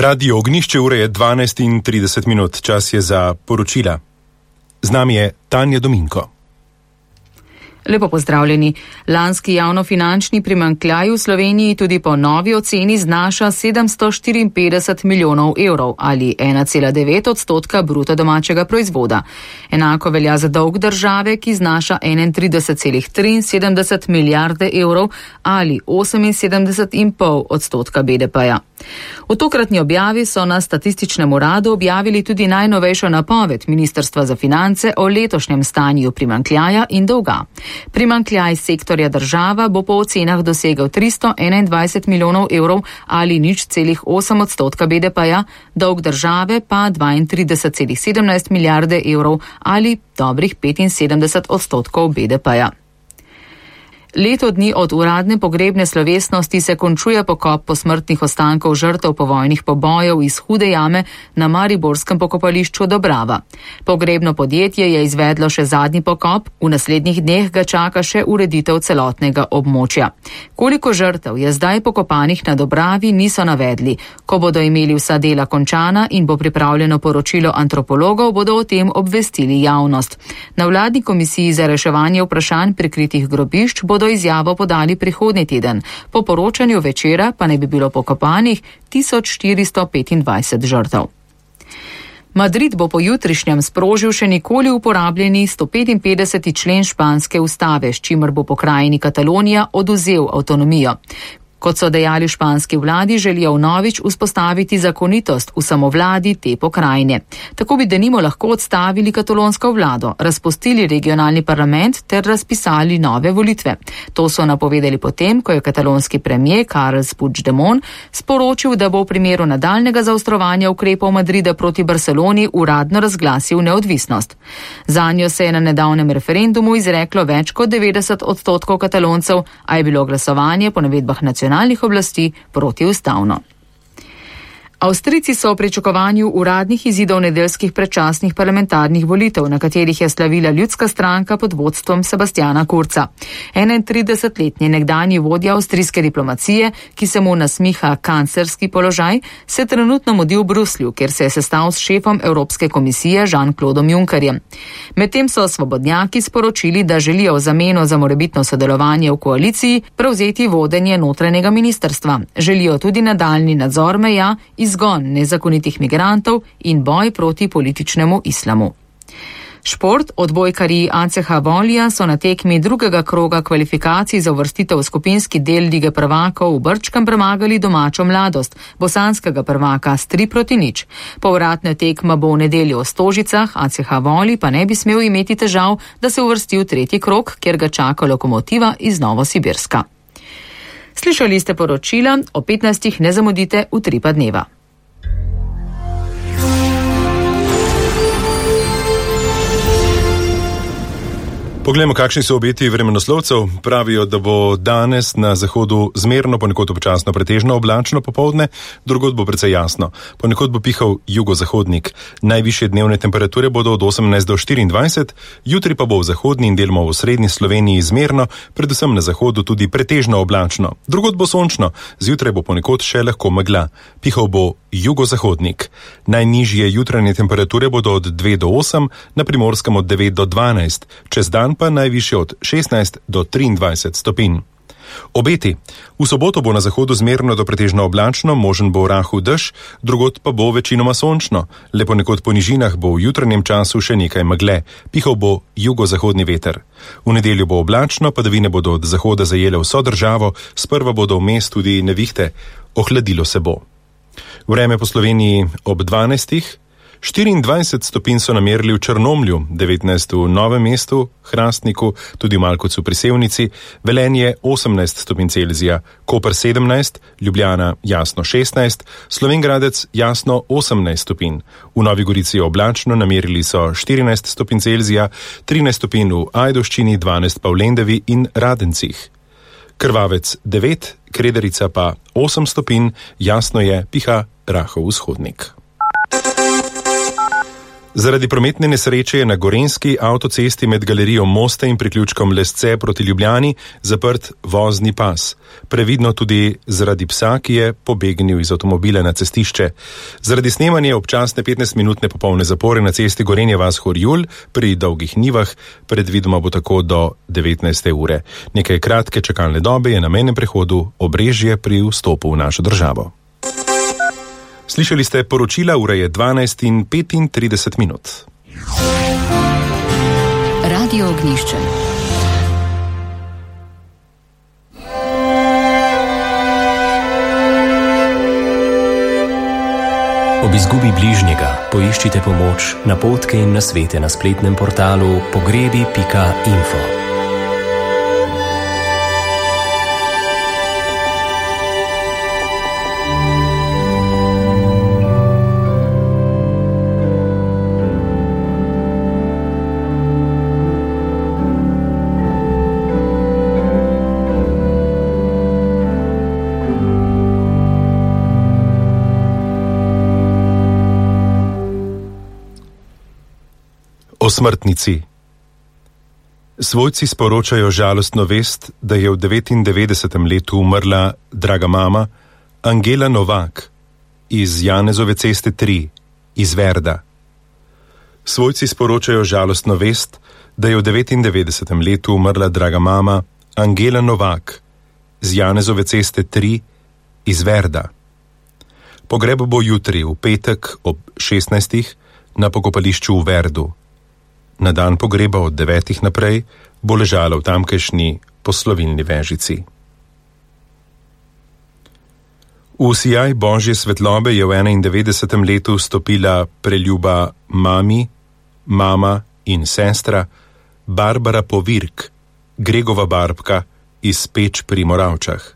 Radio Ognišče, ure je 12:30, čas je za poročila. Z nami je Tanja Dominko. Lepo pozdravljeni. Lanski javnofinančni primanjkljaj v Sloveniji tudi po novi oceni znaša 754 milijonov evrov ali 1,9% bruto domačega proizvoda. Enako velja za dolg države, ki znaša 31,73 milijarde evrov ali 78,5% BDP-ja. V tokratni objavi so na Statističnem uradu objavili tudi najnovejšo napoved Ministrstva za finance o letošnjem stanju primanjkljaja in dolga. Primanjkljaj sektorja država bo po ocenah dosegel 321 milijonov evrov ali 0,8% BDP-ja, dolg države pa 32,17 milijarde evrov ali dobrih 75% BDP-ja. Leto dni od uradne pogrebne slovesnosti se končuje pokop posmrtnih ostankov žrtev povojnih pobojev iz Hude jame na mariborskem pokopališču Dobrava. Pogrebno podjetje je izvedlo še zadnji pokop, v naslednjih dneh ga čaka še ureditev celotnega območja. Koliko žrtev je zdaj pokopanih na Dobravi, niso navedli. Ko bodo imeli vsa dela končana in bo pripravljeno poročilo antropologov, bodo o tem obvestili javnost. Na vladni komisiji za reševanje vprašanj prikritih grobišč bodo izjavo podali prihodnji teden. Po poročanju Večera pa ne bi bilo pokopanih 1425 žrtev. Madrid bo po jutrišnjem sprožil še nikoli uporabljeni 155. člen španske ustave, s čimer bo pokrajini Katalonija odvzel avtonomijo. Kot so dejali v španski vladi, želijo vnovič vzpostaviti zakonitost v samovladi te pokrajine. Tako bi denimo lahko odstavili katalonsko vlado, razpustili regionalni parlament ter razpisali nove volitve. To so napovedali potem, ko je katalonski premier Carles Puigdemont sporočil, da bo v primeru nadaljnega zaostrovanja ukrepov Madrida proti Barceloni uradno razglasil neodvisnost. Zanjo se je na nedavnem referendumu izreklo več kot 90% Kataloncev, a je bilo glasovanje po navedbah nacionalnih oblasti protiustavno. Avstrijci so v pričakovanju uradnih izidov nedeljskih predčasnih parlamentarnih volitev, na katerih je slavila ljudska stranka pod vodstvom Sebastiana Kurza. 31-letni nekdanji vodja avstrijske diplomacije, ki se mu nasmiha kanclerski položaj, se trenutno mudi v Bruslju, kjer se je sestal s šefom Evropske komisije Jean-Claudom Junckerjem. Medtem so svobodnjaki sporočili, da želijo v zameno za morebitno sodelovanje v koaliciji prevzeti vodenje notranjega ministrstva. Želijo tudi nadaljnji nadzor meja, izgon nezakonitih migrantov in boj proti političnemu islamu. Šport. Odbojkarji ACH Volija so na tekmi drugega kroga kvalifikacij za uvrstitev v skupinski del Lige prvakov v Brčkem premagali domačo Mladost, bosanskega prvaka s 3-0. Povratna tekma bo v nedeljo v Stožicah, ACH Voli pa ne bi smel imeti težav, da se uvrsti v tretji krog, kjer ga čaka Lokomotiva iz Novosibirska. Slišali ste poročila, o 15 ne zamudite v 3 pa dneva. Poglejmo, kakšni so obeti vremenoslovcev. Pravijo, da bo danes na zahodu zmerno, ponekod občasno pretežno oblačno popoldne, drugod bo precej jasno. Ponekod bo pihal jugozahodnik. Najvišje dnevne temperature bodo od 18 do 24, jutri pa bo v zahodni in deloma v srednji Sloveniji zmerno, predvsem na zahodu tudi pretežno oblačno. Drugod bo sončno, zjutraj bo ponekod še lahko megla. Pihal bo jugozahodnik. Najnižje jutranje temperature bodo od 2 do 8, na Primorskem od 9 do 12, čez dan pa najvišje od 16 do 23 stopinj. Obeti. V soboto bo na zahodu zmerno do pretežno oblačno, možen bo rahel dež, drugod pa bo večinoma sončno. Le ponekod po nižinah bo v jutranjem času še nekaj megle. Pihal bo jugozahodni veter. V nedeljo bo oblačno, padavine bodo od zahoda zajele vso državo, sprva bodo vmes tudi nevihte. Ohladilo se bo. Vreme po Sloveniji ob 12. 24 stopinj so namerili v Črnomlju, 19 v Novem mestu, Hrastniku, tudi v Malkovcu pri Sevnici, Velenje 18 stopinj Celzija, Koper 17, Ljubljana jasno 16, Slovenj Gradec jasno 18 stopinj. V Novi Gorici oblačno, namerili so 14 stopinj Celzija, 13 stopinj v Ajdovščini, 12 pa v Lendavi in Radencih. Krvavec 9, Krederica pa 8 stopinj, jasno je, piha rahel vzhodnik. Zaradi prometne nesreče je na Gorenjski avtocesti med galerijo Moste in priključkom Lesce proti Ljubljani zaprt vozni pas. Previdno tudi zaradi psa, ki je pobegnil iz avtomobila na cestišče. Zaradi snemanja občasne 15-minutne popolne zapore na cesti Gorenje vas-Horjul pri Dolgih Nivah predvidoma bo tako do 19. ure. Nekaj kratke čakalne dobe je na mejnem prehodu Obrežje pri vstopu v našo državo. Slišali ste poročila, ura je 12:35. Radio Ognjišče. Ob izgubi bližnjega poiščite pomoč, napotke in nasvete na spletnem portalu pogrebi.info. O smrtnici. Svojci sporočajo žalostno vest, da je v 99. letu umrla draga mama Angela Novak iz Janezove ceste 3 iz Verda. Svojci sporočajo žalostno vest, da je v 99. letu umrla draga mama Angela Novak iz Janezove ceste 3 iz Verda. Pogreb bo jutri v petek ob 16. na pokopališču v Verdu. Na dan pogreba od 9. naprej bo ležala v tamkajšnji poslovilni vežici. V sijaj Božje svetlobe je v 91. letu vstopila preljuba mami, mama in sestra Barbara Povirk, Gregova barbka iz Peč pri Moravčah.